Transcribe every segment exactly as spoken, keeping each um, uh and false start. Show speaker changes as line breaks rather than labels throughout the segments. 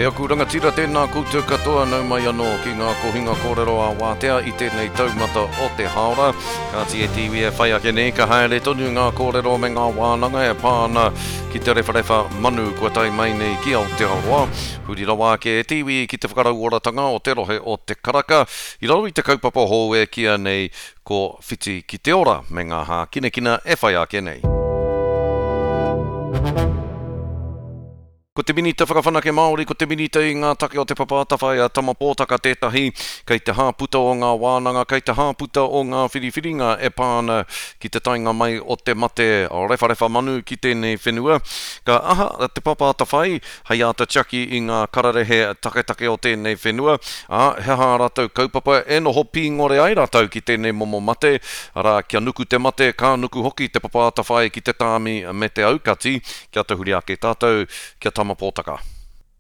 aku rangatira, tēnā koutou katoa, nau mai anō ki ngā kohinga kōrero a Wātea i tēnei taumata o te hāora. Kāti e te iwi e whai ake nei, ka haere tonu ngā kōrero me ngā wānanga e pā ana ki te rewharewha manu kua tae mai nei ki Aotearoa. Huri rawa ake e te iwi ki te whakarauoratanga o te rohe o Te Karaka i raro i te kaupapa hou e kīia nei ko Whiti ki te Ora me ngā hākinakina e whai ake nei. Ko te Minita Whakawhanake Māori, ko te Minita i ngā take o Te Papa Atawhai a Tama Pōtaka tētahi, kei te hāputa o ngā wānanga, kei te hāputa o ngā whiriwhiringa e pā ana ki te taenga mai o te mate rewharewha manu ki tēnei whenua. Ka aha Te Papa Atawhai hei āta tiaki i ngā kararehe taketake o tēnei whenua, ā, he aha ā rātou kaupapa e noho pīngore ai rātou ki tēnei momo mate, arā, kia nuku te mate, ka nuku hoki Te Papa Atawhai ki te tāmi me te aukati, kia tahuri ake tātou, kia Tama Pōtaka.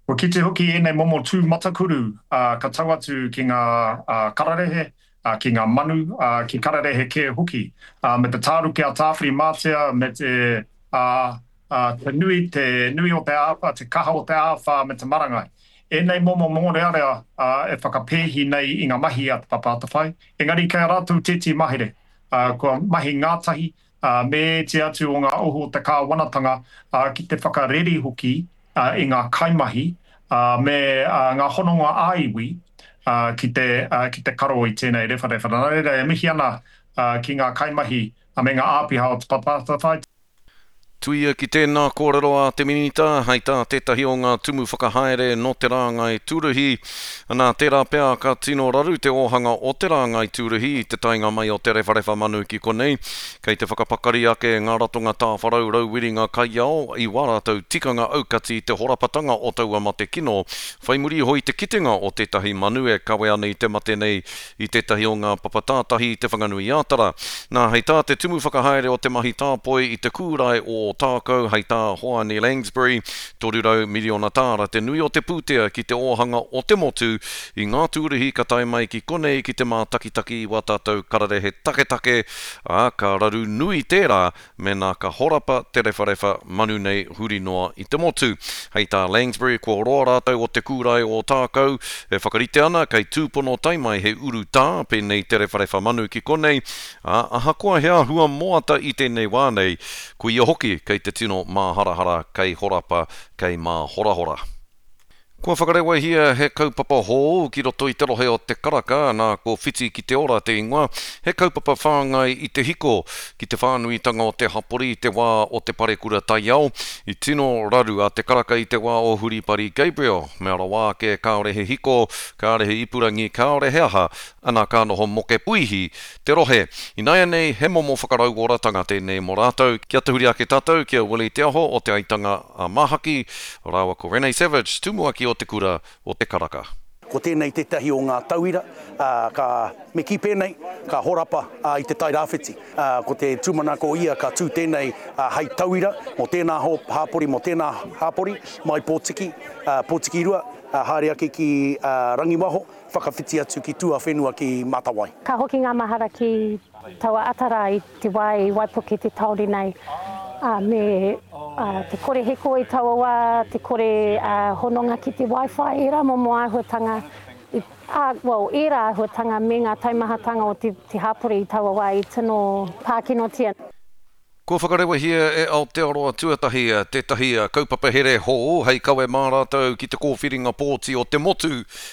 Kua kite hoki ēnei momo tū matakuru ka tau atu ki ngā kararehe, ki ngā manu, ki kararehe kē hoki, me te tāruke a Tāwhirimātea, me te, te nui, te nui o te āwhā, te kaha o te āwhā me te marangai. Ēnei momo mōrearea e whakapēhi nei i ngā mahi a Te Papa Atawhai, engari kei a rātou tētehi mahere, kua mahi ngātahi me ētehi atu o ngā ohu o te kāwanatanga ki te whakareri hoki i ngā kaimahi me ngā hononga ā-iwi ki te ki te karo i tēnei rewharewha. Nā reira, e mihi ana ki ngā kaimahi me ngā āpiha o Te Papa Atawhai.
Tuia ki tēnā kōrero a te Minita, hei tā tētahi o ngā tumu whakahaere nō te rāngai tūruhi, nā, tērā pea ka tino raru te ōhanga o te rāngai tūruhi i te taenga mai o te rewharewha manu ki konei. Kei te whakapakari ake ngā ratonga tāwharau rauwiringa kaiao i wā rātou tikanga aukati i te horapatanga o taua mate kino whai muri iho i te kitenga o tētahi manu e kawe ana i te mate nei i tētahi o ngā papa tātahi i Te Whanganui-ā-Tara. Nā, hei tā te tumu whakahaere o te mahi tāpoi i te kūrae o Ōtākou, hei tā Hoani Langsbury, toru rau miriona tāra te nui o te pūtea ki te ōhanga o te motu i ngā tūruhi ka tae mai ki konei ki te mātakitaki i wā tātou kararehe taketake, ā, ka raru nui tērā mēnā ka horapa te rewharewha manu nei huri noa i te motu. Hei tā Langsbury, kua roa rātou o te kūrae o Ōtākou e whakarite ana kei tūpono tae mai he urutā pēnei te rewharewha manu ki konei, ā, ahakoa he āhua moata i tēnei wā nei, koia hoki kei te tino māharahara, kei horapa, kei māhorahora. Kua whakarewahia he kaupapa hou ki roto i te rohe o Te Karaka, nā ko Whiti ki te Ora te ingoa, he kaupapa whāngai i te hiko ki te whānuitanga o te hapori i te wā o te parekura taiao. I tino raru a Te Karaka i te wā o Huripari Gabriel, mea rawa ake kāore he hiko, kāore he ipurangi, kāore he aha, ana ka noho moke puihi te rohe. Ināianei he momo whakarauoratanga tēnei mō rātou. Kia tahuri ake tātou ki a Willie Te Aho o Te Aitanga a Māhaki rāua ko Renee Savage, tumuaki o Te Kura o Te Karaka.
Ko tēnei tētahi o ngā tauira, ā, ka, me kī pēnei, ka horapa i Te Tai Rāwhiti. Ā, ko te tūmanako ia ka tū tēnei hei tauira mō tēnā hāpori, mō tēnā hāpori, mai Pōtiki, ā, Pōtikirua, ā, haere ake ki Rangiwaho, whakawhiti atu ki tuawhenua ki Mātawai.
Ka hoki ngā mahara ki taua ata rā i te wā i waipuke te tāone nei, ā, me te kore hiko i taua wā, te kore hononga ki te wifi, ērā momo āhuatanga, ā, well, ērā āhuatanga me ngā taumahatanga o te hapori i taua wā i tino pākinotia.
Kua whakarewahia e Aotearoa Tuatahi tētahi kaupapa here hou hei kawe mā rātou ki te kōwhiringa pōti o te motu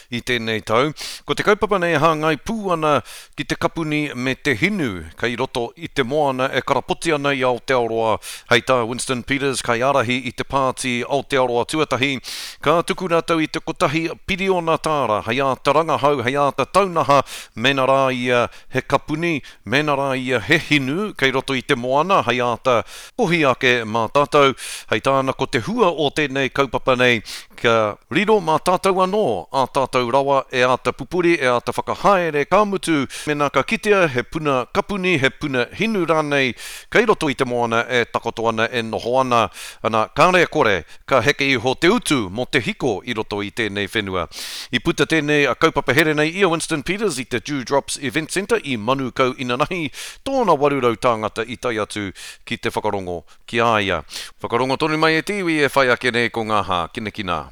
i tēnei tau. Ko te kaupapa nei e hāngai pū ana ki te kapuni me te hinu kei roto i te moana e karapoti ana i Aotearoa. Hei tā Winston Peters, kaiārahi i te pāti Aotearoa Tuatahi, ka tuku rātou i te kotahi piriona tāra hei āta rangahau, hei āta taunaha mēnā rā ia he kapuni, mēnā rā ia he hinu kei roto i te moana hei āta kohi ake mā tātou. Hei tāna ko te hua o tēnei kaupapa nei kia riro mā tātou anō ā tātou rawa e āta pupuri, e āta whakahaere, ka mutu mēnā ka kitea he puna kapuni, he puna hinu rānei kei roto i te moana e takoto ana, e noho ana, ana kāre e kore ka heke iho te utu mō te hiko i roto i tēnei whenua. I puta tēnei kaupapa here nei i a Winston Peters i te Dew Drops Event Centre i Manukau inanahi, tōna waru rau tāngata i tae atu ki te whakarongo ki a ia. Whakarongo tonu mai e te iwi e whai ake nei ko ngā hākinakina.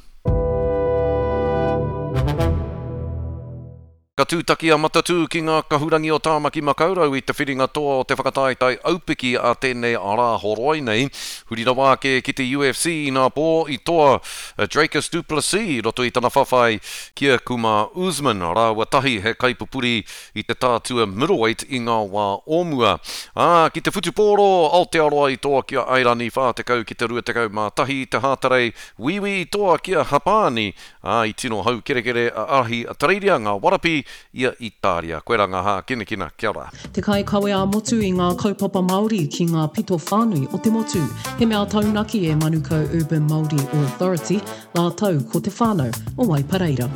Ka tūtaki a Matatū ki ngā kahurangi o Tāmaki Makaurau i te whiringa toa o te whakataetae aupiki a tēnei Rāhoroi nei. Huri rawa ake ki te U F C inapō, i toa Dricus Du Plessis i roto i tana whawhai ki a Kumar Usman, rāua tahi he kaipupuri i te tātua middleweight i ngā wā o mua. Ā, ki te whutupōro, Aotearoa i toa ki a Airani whā tekau ki te rua tekau mā tahi i te Hātarei, Wīwī i toa ki a Hapāni, ā, i tino haukerekere a Ahitereiria, ngā Warapi i a Itāria. Koirā ngā hākinakina, kia ora.
Te kaikawe ā-motu i ngā kaupapa Māori ki ngā pito whānui o te motu. He mea taunaki e Manukau Urban Māori Authority, rātou ko te whānau o Waipareira.